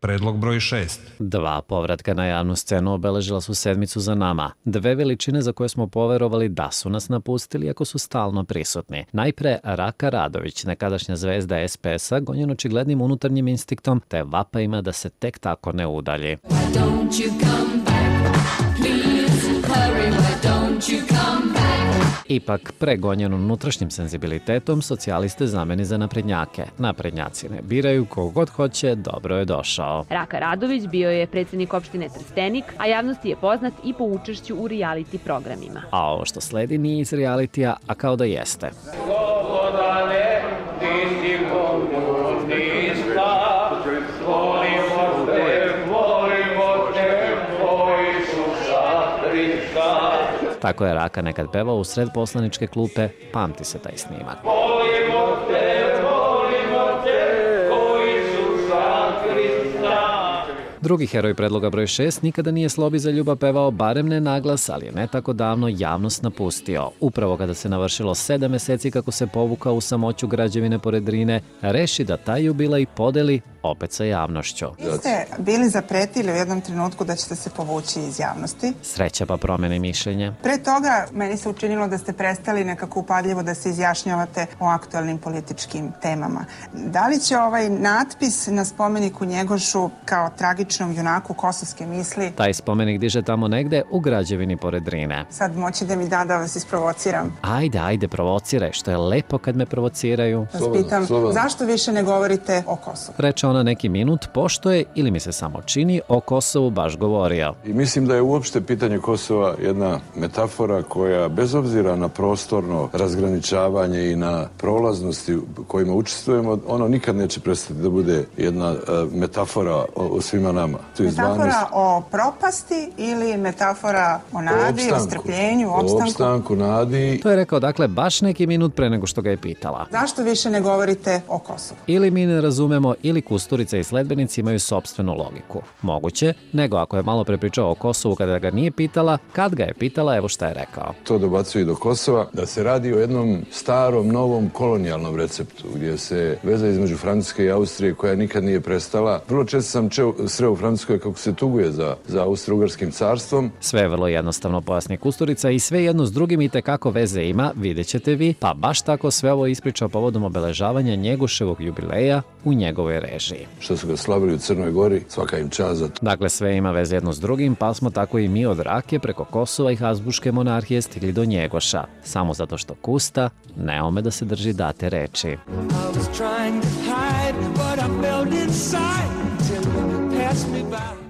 Predlog broj 6. Dva povratka na javnu scenu obeležila su sedmicu za nama. Dve veličine za koje smo poverovali da su nas napustili ako su stalno prisutni. Najpre Raka Radović, nekadašnja zvezda SPS-a, gonjen očiglednim unutarnjim instinktom, te vapajima da se tek tako ne udalji. Ipak, pregonjen unutrašnjim senzibilitetom, socijaliste zameni za naprednjake. Naprednjaci ne biraju, kogod hoće, dobro je došao. Raka Radović bio je predsjednik opštine Trstenik, a javnosti je poznat i po učešću u reality programima. A ovo što sledi nije iz realitija, a kao da jeste. Slobodane, ti si Bogu niska, volimo te, tvoji su Hrista. Tako je Raka nekad pevao u sred poslaničke klupe, pamti se taj snimak. Volimo te, koji su Hrista. Drugi heroj predloga broj 6 nikada nije Slobi za ljubav pevao, barem ne naglas, ali je ne tako davno javnost napustio. Upravo kada se navršilo 7 meseci kako se povukao u samoću građevine pored Drine, reši da taj jubilej podeli opet sa javnošću. Vi ste bili zapretili u jednom trenutku da ćete se povući iz javnosti. Sreća pa promeni mišljenje. Pre toga meni se učinilo da ste prestali nekako upadljivo da se izjašnjavate o aktualnim političkim temama. Da li će ovaj natpis na spomeniku Njegošu kao tragičnom junaku kosovske misli... Taj spomenik diže tamo negde u građevini pored Drine. Sad moći da mi da vas isprovociram. Ajde, provociraj, što je lepo kad me provociraju. Vas pitam, zašto više ne govorite o Kosovu? Reče ona neki minut, pošto je, ili mi se samo čini, o Kosovu baš govorio. I mislim da je uopšte pitanje Kosova jedna metafora koja, bez obzira na prostorno razgraničavanje i na prolaznosti kojima učestvujemo, ono nikad neće prestati da bude jedna metafora o svima nama. Metafora o propasti ili metafora o nadi, o strpljenju, opstanku? O opstanku, nadi. To je rekao, dakle, baš neki minut pre nego što ga je pitala. Zašto više ne govorite o Kosovu? Ili mi ne razumemo, ili Kusturica i sledbenici imaju sopstvenu logiku. Moguće, nego ako je malo prepričao o Kosovu kada ga nije pitala, kad ga je pitala, evo šta je rekao. To dobacuje i do Kosova, da se radi o jednom starom, novom kolonijalnom receptu, gdje se veza između Francuske i Austrije, koja nikad nije prestala. Vrlo često sam sreo u Francuskoj kako se tuguje za Austro-Ugarskim carstvom. Sve je vrlo jednostavno, pojasni Kusturica, i sve jedno s drugim i tekako veze ima, vidjet ćete vi, pa baš tako sve ovo ispričao povodom obeležavanja Njegoševog jubileja u njegovoj režiji. Što su ga slavili u Crnoj Gori, svaka im čast za to. Dakle, sve ima veze jedno s drugim, pa smo tako i mi od Rake preko Kosova i Habsburške monarhije stigli do Njegoša. Samo zato što Kusta ne ume da se drži date reči. I was trying to hide, but I felt inside till you passed me by.